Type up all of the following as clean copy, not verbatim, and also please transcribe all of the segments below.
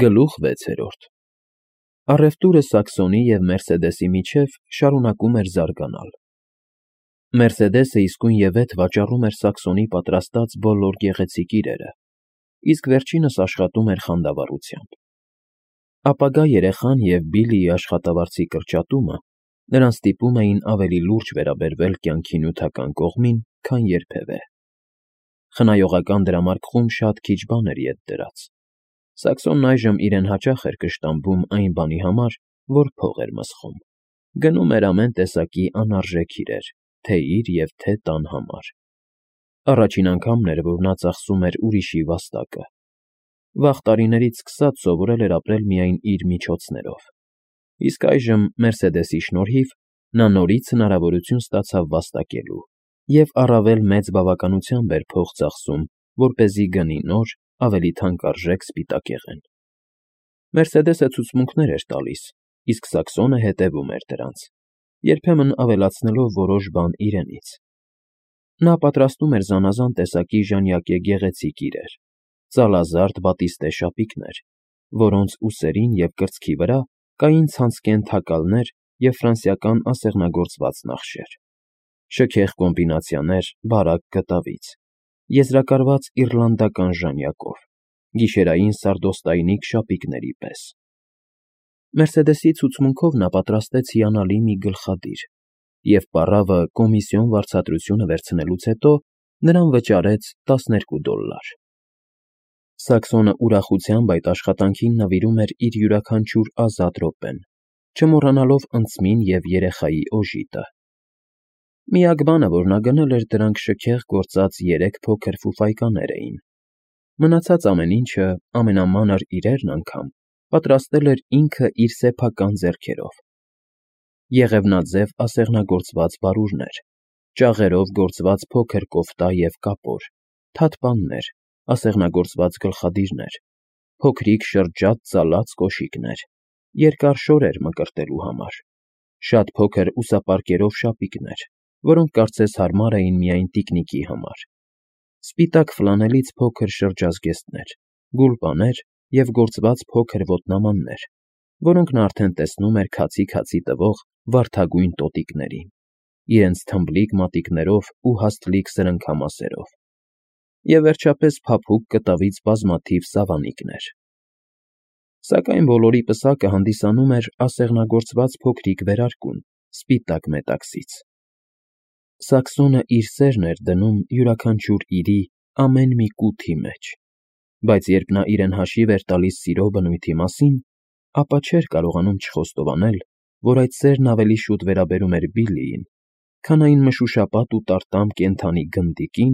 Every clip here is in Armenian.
Գլուխ 6. Առևտուրը Սաքսոնի և Մերսեդեսի միջև շարունակում էր զարգանալ։ Մերսեդեսը իսկույնևեթ վաճառում էր Սաքսոնի պատրաստած բոլոր գեղեցիկ իրերը, իսկ վերջինս աշխատում էր խանդավառությամբ։ Ապագա երեխան և Բիլլիի աշխատավարձի կրճատումը նրան ստիպում էին ավելի լուրջ վերաբերվել կյանքի նյութական կողմին, քան երբևէ։ Խնայողական դրամարկղում շատ քիչ բան էր ետ դրած։ Սաքսոնն այժմ իրեն հաճախ էր կշտամբում այն բանի համար, որ փող էր մսխում։ Գնում էր ամեն տեսակի անարժեք իրեր, թե՛ իր և թե՛ տան համար։ Առաջին անգամն էր, որ նա ծախսում էր ուրիշի վաստակը։ Վաղ տարիներից սկսած սովորել էր ապրել միայն իր միջոցներով։ Իսկ այժմ, Մերսեդեսի շնորհիվ, նա նորից հնարավորություն ստացավ վաստակելու և առավել մեծ բավականությամբ էր փող ծախսում, որպեսզի գնի նոր, ավելի թանկարժեք սպիտակեղեն։ Մերսեդեսը ցուցմունքներ էր տալիս, իսկ Սաքսոնը հետևում էր դրանց, երբեմն ավելացնելով որոշ բան իրենից։ Նա պատրաստում էր զանազան տեսակի ժանյակե գեղեցիկ իրեր, ծալազարդ բատիստե շապիկներ, որոնց ուսերին և կրծքի վրա կային ցանցկեն թակալներ և ֆրանսիական ասեղնագործված նախշեր, շքեղ կոմբինացիաներ բարակ գտավից, եզրակարված իռլանդական ժանյակով, գիշերային սարդոստայնիկ շապիկների պես։ Մերսեդեսի ցուցմունքով նա պատրաստեց հիանալի մի գլխադիր և պառավը կոմիսիոն վարձատրությունը վերցնելուց հետո նրան վճարեց $12։ Սաքսոնը ուրախությամբ այդ աշխատանքին նվիրում էր իր յուրաքանչյուր ազատ րոպեն, չմոռանալով ընծմին և երեխայի օժիտը։ Միակ բանը, որ նա գնել էր, դրանք շքեղ գործած 3 փոքր ֆուֆայկաներ էին։ Մնացած ամեն ինչը, ամենամանր իրերն անգամ, պատրաստել էր ինքը իր սեփական ձեռքերով. եղևնաձև ասեղնագործված բարուրներ, ճաղերով գործված փոքր կոֆտա և կապոր, թաթպաններ, ասեղնագործված գլխադիրներ, փոքրիկ շրջատ ծալած կոշիկներ, երկար շորեր մկրտելու համար, շատ փոքր ուսապարկերով շապիկներ, որոնք կարծես հարմար էին միայն տիկնիկի համար, սպիտակ ֆլանելից փոքր շրջազգեստներ, գուլպաներ և գործված փոքր ոտնամաններ, որոնք նա արդեն տեսնում էր քացի տվող վարդագույն տոտիկներին, իրենց թմբլիկ մատիկներով ու հաստլիկ սրընքամասերով, և վերջապես փափուկ կտավից բազմաթիվ սավանիկներ։ Սակայն բոլորի պսակը հանդիսանում էր ասեղնագործված փոքրիկ վերարկուն սպիտակ մետաքսից։ Սաքսոնը իր սերն էր դնում յուրաքանչյուր իրի ամեն մի կութի մեջ, բայց երբ նա իրեն հաշիվ էր տալիս սիրո բնույթի մասին, ապա չէր կարողանում չխոստովանել, որ այդ սերն ավելի շուտ վերաբերում էր Բիլլիին, քան այն մշուշապատ ու տարտամ կենդանի գնդիկին,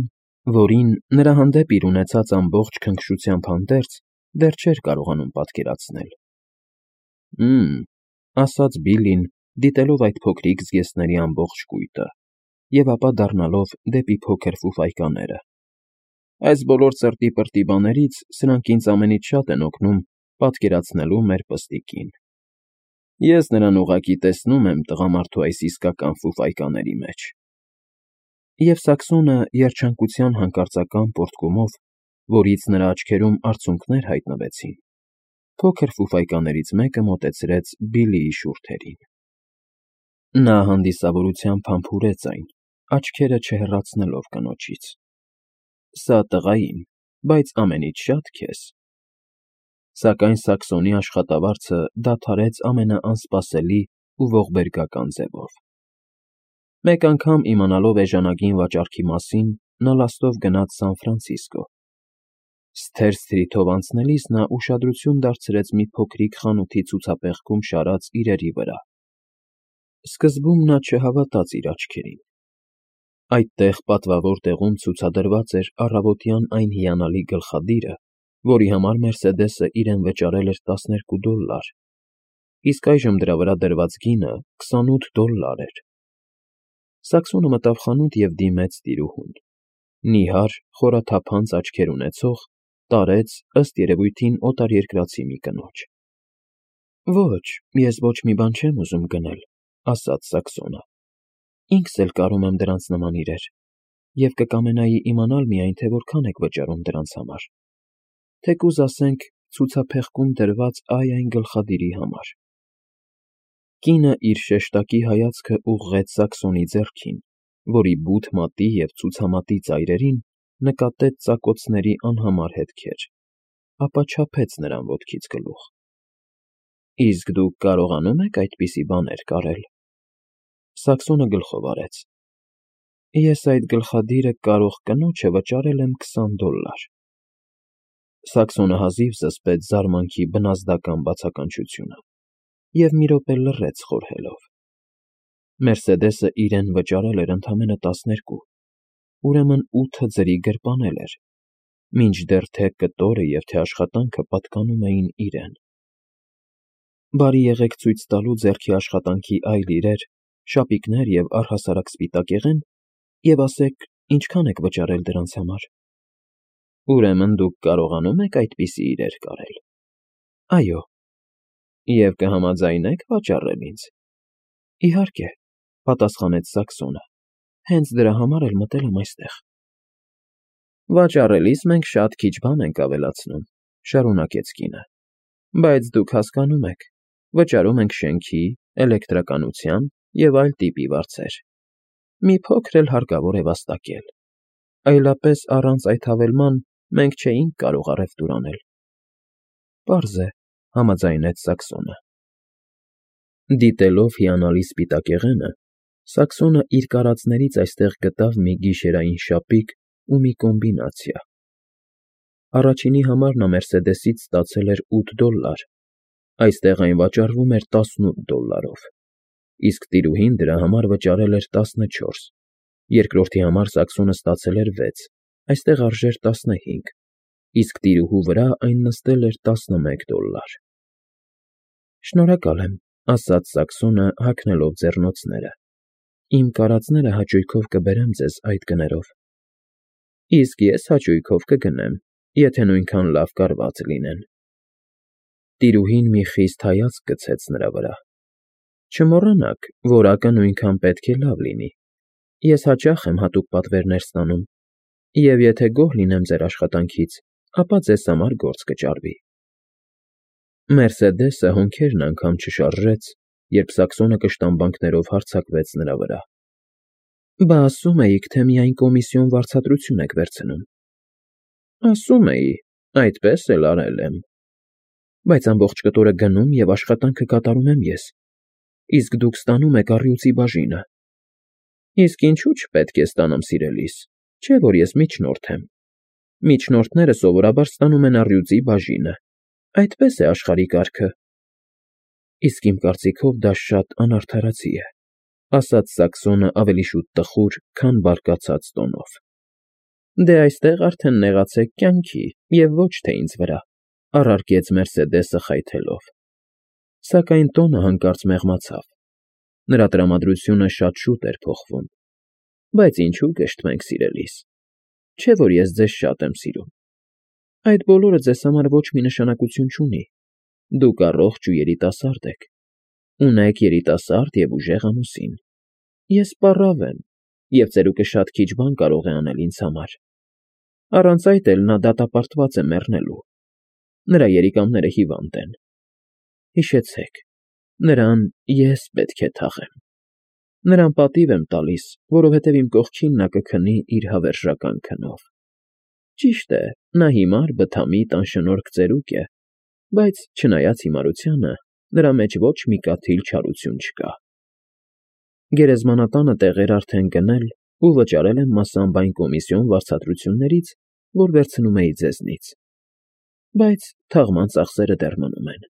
որին, նրա հանդեպ իր ունեցած ամբողջ քնքշությամբ հանդերձ, դեռ չէր կարողանում պատկերացնել։ Ասաց Բիլլին, դիտելով այդ փոքրիկ զգեստների ամբողջ կույտը, և ապա դառնալով դեպի փոքր ֆուֆայկաները։ Այս բոլոր ծրտի֊պրտի բաներից սրանք ինձ ամենից շատ են օգնում պատկերացնելու մեր պստիկին։ Ես նրան ուղղակի տեսնում եմ տղամարդու այս իսկական ֆուֆայկաների մեջ։ Եվ Սաքսոնը երջանկության հանկարծական պոռթկումով, որից նրա աչքերում արցունքներ հայտնվեցին, փոքր ֆուֆայկաներից մեկը մոտեցրեց Բիլլիի շուրթերին։ Նա հանդիսավորությամբ համբուրեց այն, աչքերը չհեռացնելով կնոջից։ Սա տղային, բայց ամենից շատ քեզ։ Սակայն Սաքսոնի աշխատավարձը դադարեց ամենաանսպասելի ու ողբերգական ձևով։ Մեկ անգամ իմանալով էժանագին վաճառքի մասին, նա լաստով գնաց Սան Ֆրանցիսկո։ Սթեր Սթրիթով անցնելիս նա ուշադրություն դարձրեց մի փոքրիկ խանութի ցուցափեղկում շարած իրերի վրա։ Սկզբում նա չհավատաց իր աչքերին։ Այդտեղ պատվավոր տեղում ցուցադրված էր առավոտյան այն հիանալի գլխադիրը, որի համար Մերսեդեսը իրեն վճարել էր $12, իսկ այժմ դրա վրա դրված գինը $28 էր։ Սաքսոնը մտավ խանութ և դիմեց տիրուհուն։ Նիհար, խորաթափանց աչքեր ունեցող, տարեց, ըստ երևույթին, օտարերկրացի մի կնոջ։ Ոչ, ես ոչ մի բան չեմ ուզում գնել, ասաց Սաքսոնը։ Ինքս էլ կարում եմ դրանց նման իրեր, և կկամենայի իմանալ միայն, թե որքան եք վճարում դրանց համար։ Թեկուզ ասենք ցուցափեղկում դրված այն գլխադիրի համար։ Կինը իր շեշտակի հայացքը ուղղեց Սաքսոնի ձեռքին, որի բութ մատի և ցուցամատի ծայրերին նկատեց ծակոցների անհամար հետքեր, ապա չափեց նրան ոտքից գլուխ։ Իսկ դուք կարողանում եք այդպիսի բաներ կարել։ Սաքսոնը գլխով արեց։ Ես այդ գլխադիրը կարող կնոջը վճարել եմ $20։ Սաքսոնը հազիվ զսպեց զարմանքի բնազդական բացականչությունը և մի րոպե լռեց խորհելով։ Մերսեդեսը իրեն վճարել էր ընդամենը 12, ուրեմն 8 ձրի գրպանել էր, մինչդեռ թե կտորը և թե աշխատանքը պատկանում էին իրեն։ Բարի եղեք ցույց տալու ձեռքի աշխատանքի այլ իրեր, շապիկներ և առհասարակ սպիտակեղեն և ասեք ինչքան եք վճարել դրանց համար։ Ուրեմն դուք կարողանում եք այդպիսի իրեր կարել։ Այո։ Եվ կհամաձայնեք վաճառել ինձ։ Իհարկե, պատասխանեց Սաքսոնը, հենց դրա համար էլ մտել եմ այստեղ։ Վաճառելիս մենք շատ քիչ բան ենք ավելացնում, շարունակեց կինը, բայց դուք հասկանում եք, վճարում ենք շենքի, էլեկտրականության և այլ տիպի վարձեր։ Մի փոքր էլ հարկավոր է վաստակել։ Այլապես առանց այդ հավելման մենք չէինք կարող առևտուր անել։ Պարզ է, համաձայնեց Սաքսոնը։ Դիտելով հիանալի սպիտակեղենը, Սաքսոնը իր կարածներից այստեղ գտավ մի գիշերային շապիկ ու մի կոմբինացիա։ Առաջինի համար նա Մերսեդեսից ստացել էր $8, այստեղ այն վաճառվում էր $18, իսկ տիրուհին դրա համար վճարել էր 14, երկրորդի համար Սաքսոնը ստացել էր 6, այստեղ արժեր 15, իսկ տիրուհու վրա այն նստել էր $11։ Շնորհակալ եմ, ասաց Սաքսոնը հագնելով ձեռնոցները։ Իմ կարածները հաճույքով կբերեմ ձեզ այդ գներով։ Իսկ ես հաճույքով կգնեմ, եթե նույնքան լավ կարված լինեն։ Տիրուհին մի խիստ հայացք գցեց նրա վրա։ Չմոռանաք, որակը նույնքան պետք է լավ լինի։ Ես հաճախ եմ հատուկ պատվերներ ստանում, և եթե գոհ լինեմ ձեր աշխատանքից, ապա ձեզ համար գործ կճարվի։ Մերսեդեսը հոնքերն անգամ չշարժեց, երբ Սաքսոնը կշտամբանքներով հարձակվեց նրա վրա։ Բա ասում էիք, թե միայն կոմիսիոն վարձատրություն եք վերցնում։ Ասում էի, այդպես էլ արել եմ։ Բայց ամբողջ կտորը գնում և աշխատանքը կատարում եմ ես, իսկ դուք ստանում եք առյուծի բաժինը։ Իսկ ինչու չպետք է ստանամ, սիրելիս, չէ՞ որ ես միջնորդ եմ։ Միջնորդները սովորաբար ստանում են առյուծի բաժինը։ Այդպես է աշխարհի կարգը։ Իսկ իմ կարծիքով դա շատ անարդարացի է, ասաց Սաքսոնը ավելի շուտ տխուր, քան բարկացած տոնով։ Դե այստեղ արդեն նեղացեք կյանքի և ոչ թե ինձ վրա, առարկեց Մերսեդեսը խայթելով։ Սակայն տոնը հանկարծ մեղմացավ։ Նրա տրամադրությունը շատ շուտ էր փոխվում։ Բայց ինչու կշտմենք, սիրելիս։ Չէ՞ որ ես ձեզ շատ եմ սիրում։ Այդ բոլորը ձեզ համար ոչ մի նշանակություն չունի։ Դուք առողջ ու երիտասարդ եք։ Ունեք երիտասարդ և ուժեղ ամուսին։ Ես պառավ եմ, և ծերուկը շատ քիչ բան կարող է անել ինձ համար։ Առանց այդ էլ նա դատապարտված է մեռնելու։ Նրա երիկամները հիվանդ են։ Հիշեցեք, նրան ես պետք է թաղեմ։ Նրան պատիվ եմ տալիս, որովհետև իմ կողքին նա կքնի իր հավերժական քնով։ Ճիշտ է, նա հիմար, բթամիտ, անշնորհք ծերուկ է, բայց չնայած հիմարությանը, նրա մեջ ոչ մի կաթիլ չարություն չկա։ Գերեզմանատանը տեղեր արդեն գնել ու վճարել եմ մասամբ այն կոմիսիոն վարձատրություններից, որ վերցնում էի ձեզնից։ Բայց թաղման ծախսերը դեռ մնում են։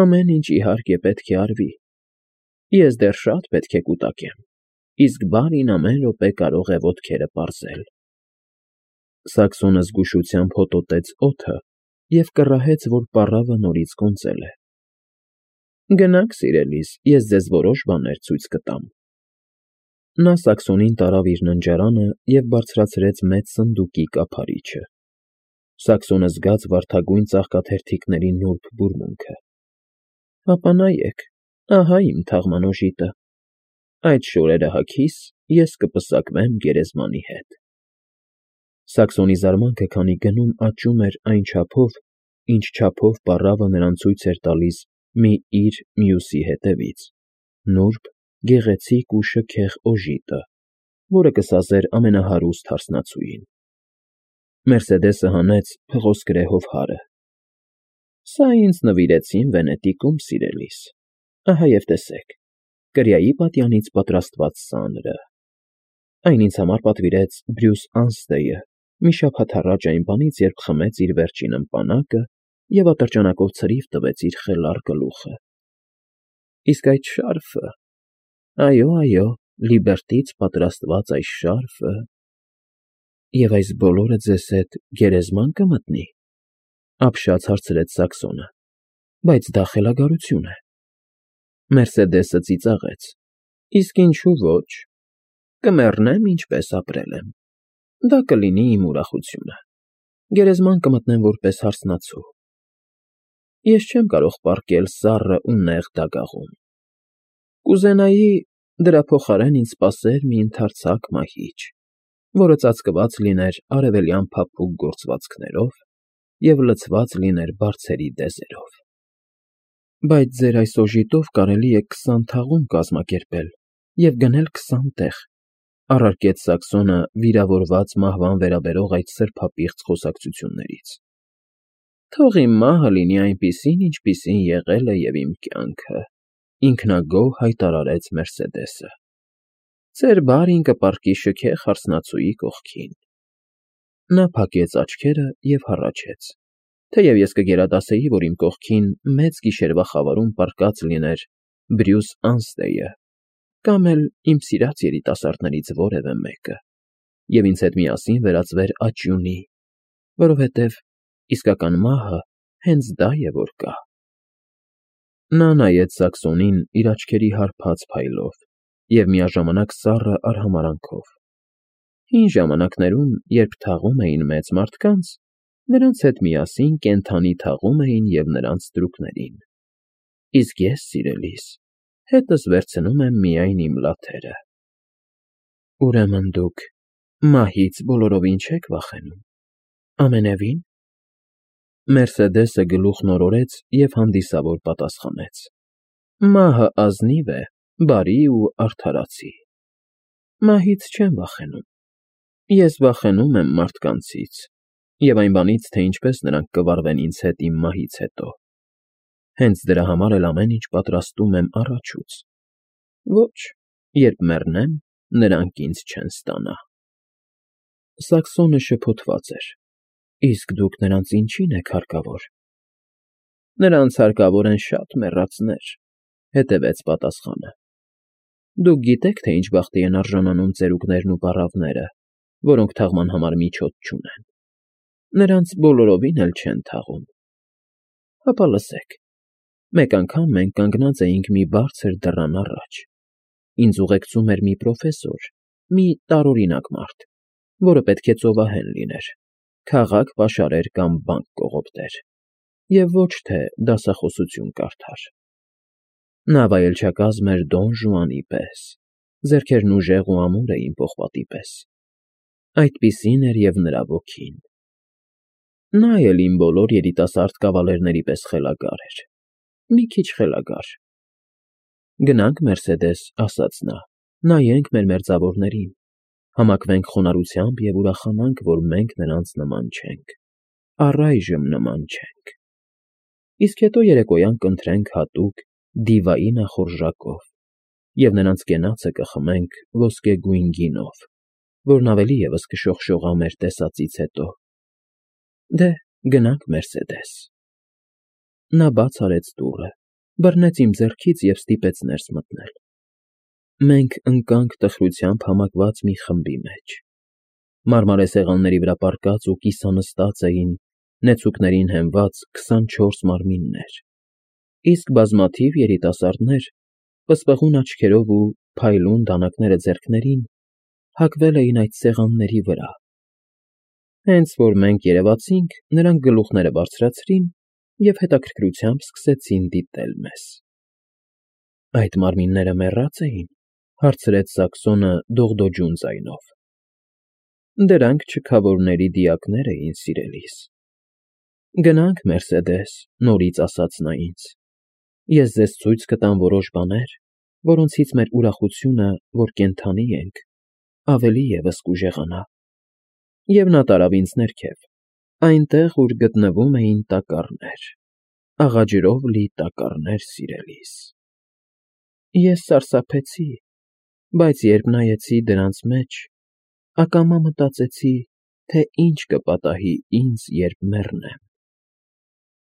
Ամեն ինչ, իհարկե, պետք է արվի։ Ես դեռ շատ պետք է կուտակեմ, իսկ բարին ամեն րոպե կարող է ոտքերը պարզել։ Սաքսոնը զգուշությամբ հոտոտեց օդը և կռահեց, որ պառավը նորից կոնծել է։ Գնաք, սիրելիս, ես ձեզ որոշ բաներ ցույց կտամ։ Նա Սաքսոնին տարավ իր ննջարանը և բարձրացրեց մեծ սնդուկի կափարիչը։ Սաքսոնը զգաց վարդագույն ծաղկաթերթիկների նուրբ բուրմունքը։ Հապա նայեք, ահա իմ թաղման օժիտը։ Այդ շորերը հագիս, ես կպսակվեմ գերեզմանի հետ։ Սաքսոնի զարմանքը քանի գնում աճում էր այն չափով, ինչ չափով պառավը նրան ցույց էր տալիս մի իր մյուսի հետևից, նուրբ, գեղեցիկ ու շքեղ օժիտը, որը կսազեր ամենահարուստ հարսնացուին։ Մերսեդեսը հանեց փղոս գրեհով հարը։ Սա ինձ նվիրեցին Վենետիկում, սիրելիս։ Ահա և տեսեք, կրիայի պատյանից պատրաստված սանրը։ Այն ինձ համար պատվիրեց Բրյուս Անստեյը մի շաբաթ առաջ այն բանից, երբ խմեց իր վերջին ըմպանակը և ատրճանակով ցրիվ տվեց իր խելառ գլուխը։ Իսկ այդ շարֆը… Այո, Լիբերտից պատրաստված այս շարֆը… Եվ այս բոլորը ձեզ հետ գերեզման կմտնի, ապշած հարցրեց Սաքսոնը, բայց դա խելագարություն է։ Մերսեդեսը ծիծաղեց. Իսկ ինչու ոչ, կմեռնեմ, ինչպես ապրել եմ, դա կլինի իմ ուրախությունը, գերեզման կմտնեմ որպես հարսնացու։ Ես չեմ կարող պառկել սառը ու նեղ դագաղում։ Կուզենայի դրա փոխարեն ինձ սպասեր մի ընդարձակ մահիճ, որը ծածկված լիներ արևելյան փափուկ գործվածքներով և լցված լիներ բարձերի դեզերով։ Բայց ձեր այս օժիտով կարելի է 20 թաղում կազմակերպել և գնել 20 տեղ, առարկեց Սաքսոնը վիրավորված մահվան վերաբերող այդ սրբապիղծ խոսակցություններից։ Թող իմ մահը լինի այնպիսին, ինչպիսին եղել է և իմ կյանքը, ինքնագոհ հայտարարեց Մերսեդեսը։ Ձեր բարին կպառկի շքեղ հարսնացուի կողքին։ Նա փակեց աչքերը և հառաչեց, թեև ես կգերադասեի, որ իմ կողքին մեծ գիշերվա խավարում պառկած լիներ Բրյուս Անստեյը կամ էլ իմ սիրած երիտասարդներից որևէ մեկը, և ինձ հետ միասին վերածվեր աճյունի, որովհետև իսկական մահը հենց դա է, որ կա։ Նա նայեց Սաքսոնին իր աչքերի հարբած փայլով և միաժամանակ սառը արհամարհանքով։ Հին ժամանակներում, երբ թաղում էին մեծ մարդկանց, նրանց հետ միասին կենդանի թաղում էին և նրանց ստրուկներին։ Իսկ ես, սիրելիս, հետս վերցնում եմ միայն իմ լաթերը։ Ուրեմն դուք մահից բոլորովին չեք վախենում, ամենևին… Մերսեդեսը գլուխն օրորեց և հանդիսավոր պատասխանեց. Մահը ազնիվ է, բարի ու արդարացի։ Մահից չեմ վախենում։ Ես վախենում եմ մարդկանցից և այն բանից, թե ինչպես նրանք կվարվեն ինձ հետ իմ մահից հետո։ Հենց դրա համար էլ ամեն ինչ պատրաստում եմ առաջուց։ Ոչ, երբ մեռնեմ, նրանք ինձ չեն ստանա։ Սաքսոնը շփոթված էր. Իսկ դուք նրանց ինչի՞ն եք հարկավոր։ Նրանց հարկավոր են շատ մեռածներ, հետևեց պատասխանը։ Դուք գիտեք, թե ինչ բախտի են արժանանում ծերուկներն ու պառավները, որոնք թաղման համար միջոց չունեն։ Նրանց բոլորովին էլ չեն թաղում։ Հապա լսեք. մեկ անգամ մենք կանգնած էինք մի բարձր դռան առաջ։ Ինձ ուղեկցում էր մի պրոֆեսոր, մի տարօրինակ մարդ, որը պետք է ծովահեն լիներ, քաղաք պաշարեր կամ բանկ կողոպտեր, և ոչ թե դասախոսություն կարդար։ Նա վայելչակազմ էր Դոն Ժուանի պես, ձեռքերն ուժեղ ու ամուր էին պողպատի պես։ Այդպիսին էր և նրա ոգին։ Նա էլ իմ բոլոր երիտասարդ կավալերների պես խելագար էր, մի քիչ խելագար։ Գնանք, Մերսեդես, ասաց նա, նայենք մեր մերձավորներին, համակվենք խոնարհությամբ և ուրախանանք, որ մենք նրանց նման չենք, առայժմ նման չենք։ Իսկ հետո երեկոյան կընտրենք հատուկ դիվայի նախորժակով և նրանց կենացը կխմենք ոսկեգույն գինով, որն ավելի ևս կշողշողա մեր տեսածից հետո։ Դե, գնանք, Մերսեդես։ Նա բաց արեց դուռը, բռնեց իմ ձեռքից և ստիպեց ներս մտնել։ Մենք ընկանք տխրությամբ համակված մի խմբի մեջ։ Մարմարե սեղանների վրա պառկած ու կիսանստած էին նեցուկներին հենված 24 մարմիններ, իսկ բազմաթիվ երիտասարդներ, պսպղուն աչքերով ու փայլուն դանակները ձեռքներին, հագվել էին այդ սեղանների վրա։ Հենց որ մենք երևացինք, նրանք գլուխները բարձրացրին և հետաքրքրությամբ սկսեցին դիտել մեզ։ Այդ մարմինները մեռա՞ծ էին, հարցրեց Սաքսոնը դողդոջուն ձայնով։ Դրանք չքավորների դիակներ էին, սիրելիս։ Գնանք, Մերսեդես, նորից ասաց նա ինձ։ Ես ձեզ ցույց կտամ որոշ բաներ, որոնցից մեր ուրախությունը, որ կենդանի ենք, ավելի ևս կուժեղանա։ Եվ նա տարավ ինձ ներքև, այնտեղ, ուր գտնվում էին տակառներ, աղաջրով լի տակառներ, սիրելիս։ Ես սարսափեցի, բայց երբ նայեցի դրանց մեջ, ակամա մտածեցի, թե ինչ կպատահի ինձ, երբ մեռնեմ։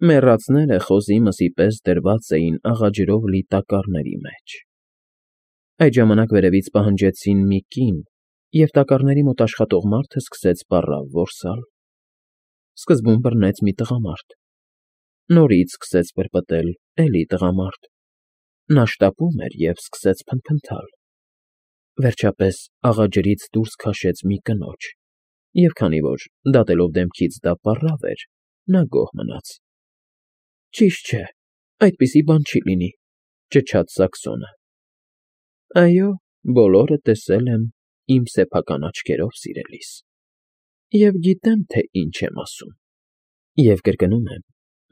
Մեռածները խոզի մսի պես դրված էին աղաջրով լի տակառների մեջ։ Այդ ժամանակ վերևից պահանջեցին մի կին, և տակառների մոտ աշխատող մարդը սկսեց պառավ որսալ։ Սկզբում բռնեց մի տղամարդ։ Նորից սկսեց պրպտել էլի տղամարդ։ Նա շտապում էր և սկսեց փնթփնթալ։ Վերջապես աղաջրից դուրս քաշեց մի կնոջ, և քանի որ, դատելով դեմքից, դա պառավ էր, նա գոհ մնաց։ Ճիշտ չէ, այդպիսի բան չի լինի, ճչաց Սաքսոնը։ Այո, բոլորը տեսել եմ իմ սեփական աչքերով, սիրելիս, և գիտեմ, թե ինչ եմ ասում։ Եվ կրկնում եմ,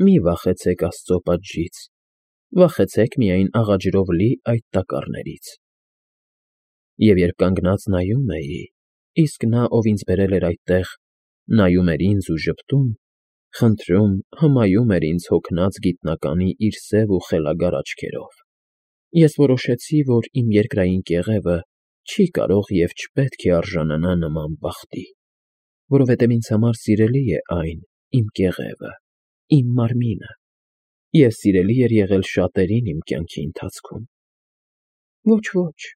մի վախեցեք Աստծո պատժից, վախեցեք միայն աղաջրով լի այդ տակառներից։ Եվ երբ կանգնած նայում էի, իսկ նա, ով ինձ բերել էր այդտեղ, նայում էր ինձ ու ժպտում, խնդրում, հմայում էր ինձ հոգնած գիտնականի իր սև ու խելագար աչքերով, ես որոշեցի, որ իմ երկրային կեղևը չի կարող և չպետք է արժանանա նման բախտի, որովհետև ինձ համար սիրելի է այն, իմ կեղևը, իմ մարմինը, և սիրելի էր եղել շատերին իմ կյանքի ընթացքում։ Ոչ,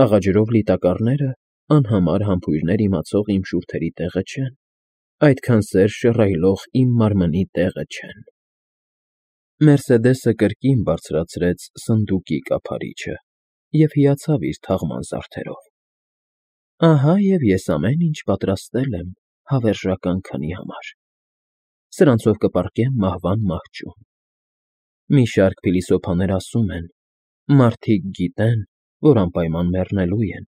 աղաջրով լի տակառները անհամար համբույրներ իմացող իմ շուրթերի տեղը չեն, այդքան սեր շռայլող իմ մարմնի տեղը չեն։ Մերսեդեսը կրկին բարձրացրեց սնդուկի կափարիչը և հիացավ իր թաղման զարդերով։ Ահա և ես ամեն ինչ պատրաստել եմ հավերժական քնի համար։ Սրանցով կպառկեմ մահվան մահճում։ Մի շարք փիլիսոփաներ ասում են. մարդիկ գիտեն, որ անպայման մեռնելու են,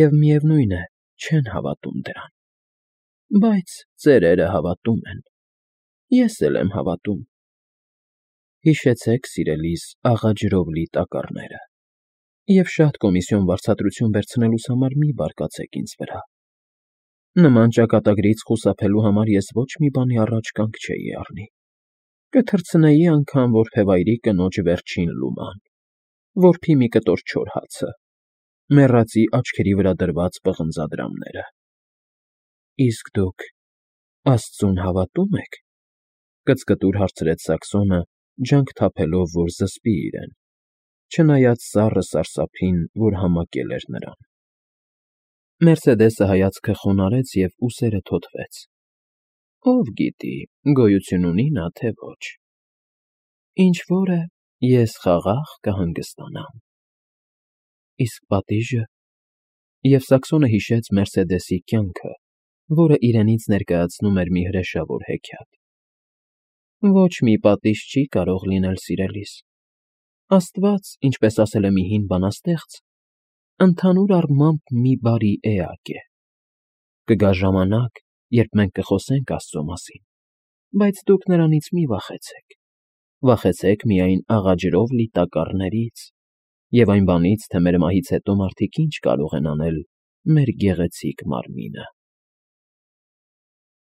և միևնույն է, չեն հավատում դրան։ Բայց ծերերը հավատում են։ Ես էլ եմ հավատում։ Հիշեցեք, սիրելիս, աղաջրով լի տակառները, և շատ կոմիսիոն վարձատրություն վերցնելուս համար մի բարկացեք ինձ վրա։ Նման ճակատագրից խուսափելու համար ես ոչ մի բանի առաջ կանգ չէի առնի։ Կթռցնեի անգամ որբևայրի կնոջ վերջին լուման, որբի մի կտոր չոր հացը, մեռածի աչքերի վրա դրված պղնձադրամները։ Իսկ դուք Աստծուն հավատո՞ւմ եք, կծկտուր հարցրեց Սաքսոնը, ջանք թափելով, որ զսպի իրեն, չնայած սառը սարսափին, որ համակել էր նրան։ Մերսեդեսը հայացքը խոնարհեց և ուսերը թոթվեց։ Ով գիտի, գոյություն ունի նա, թե ոչ։ Ինչ որ է, ես խաղաղ կհանգստանամ։ Իսկ պատիժը։ Եվ Սաքսոնը հիշեց Մերսեդեսի կյանքը, որը իրենից ներկայացնում էր մի հրեշավոր հեքիաթ։ Ոչ մի պատիժ չի կարող լինել, սիրելիս։ Աստված, ինչպես ասել է մի հին բանաստեղծ, ընդհանուր առմամբ մի բարի էակ է։ Կգա ժամանակ, երբ մենք կխոսենք Աստծո մասին, բայց դուք նրանից մի վախեցեք։ Վախեցեք միայն աղաջրով լի տակառներից և այն բանից, թե մեր մահից հետո մարդիկ ինչ կարող են անել մեր գեղեցիկ մարմինը։